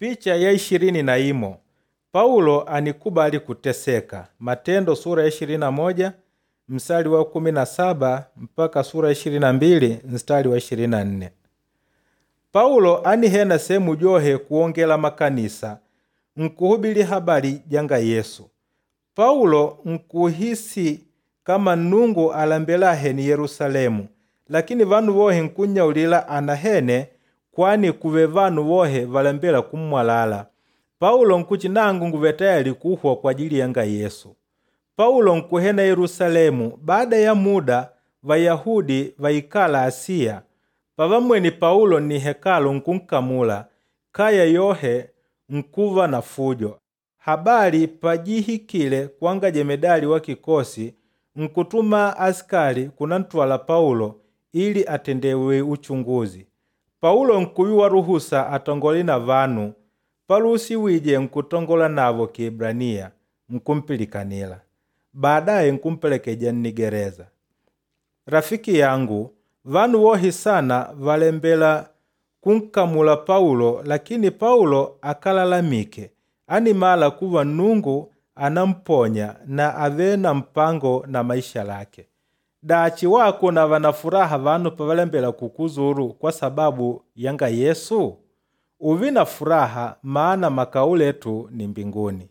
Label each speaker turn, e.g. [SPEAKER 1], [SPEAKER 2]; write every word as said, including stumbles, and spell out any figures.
[SPEAKER 1] Picha ya ishirini na imo Paulo anikubali kuteseka. Matendo sura ya ishirini na moja mstari wa kumi na saba mpaka sura ya ishirini na mbili mstari wa ishirini na nne. Paulo anihena sehemu johe kuongela makanisa nkuhubili habari janga Yesu. Paulo nkuhisi kama Nnungu alembela ahene Yerusalemu, lakini vanu vohe nkunnyaulila anahene kwani kuve vanu vohe valembela kummwalala. Paulo nkuti nangu nguve tayali kuhwa kwa ajili yanga Yesu. Paulo nkuhena Yerusalemu. Baada ya muda Vayahudi vaikala Asiya pavamwene Paulo ni hekalu nkunkamula, kaya yohe nkuva na fujo. Habari pajihikile kwanga jemedali wa kikosi nkutuma askali kunantwala Paulo ili atendewe uchunguzi. Paulo nkuyuwa ruhusa atongole na vanu, paluhusiwije nkutongola navo Kiebraniya nkumpilikanila. Baadaye nkumpelekeja nnigereza. Rafiki yangu, vanu wohe sana valembela kunkamula Paulo, lakini Paulo akalalamike, animala kuva Nnungu anamponya na ave na mpango na maisha lake. Dachi wako nava na furaha vanu pavalembela kukuzuru kwa sababu yanga Yesu? Uve na furaha maana makao letu ni mbinguni.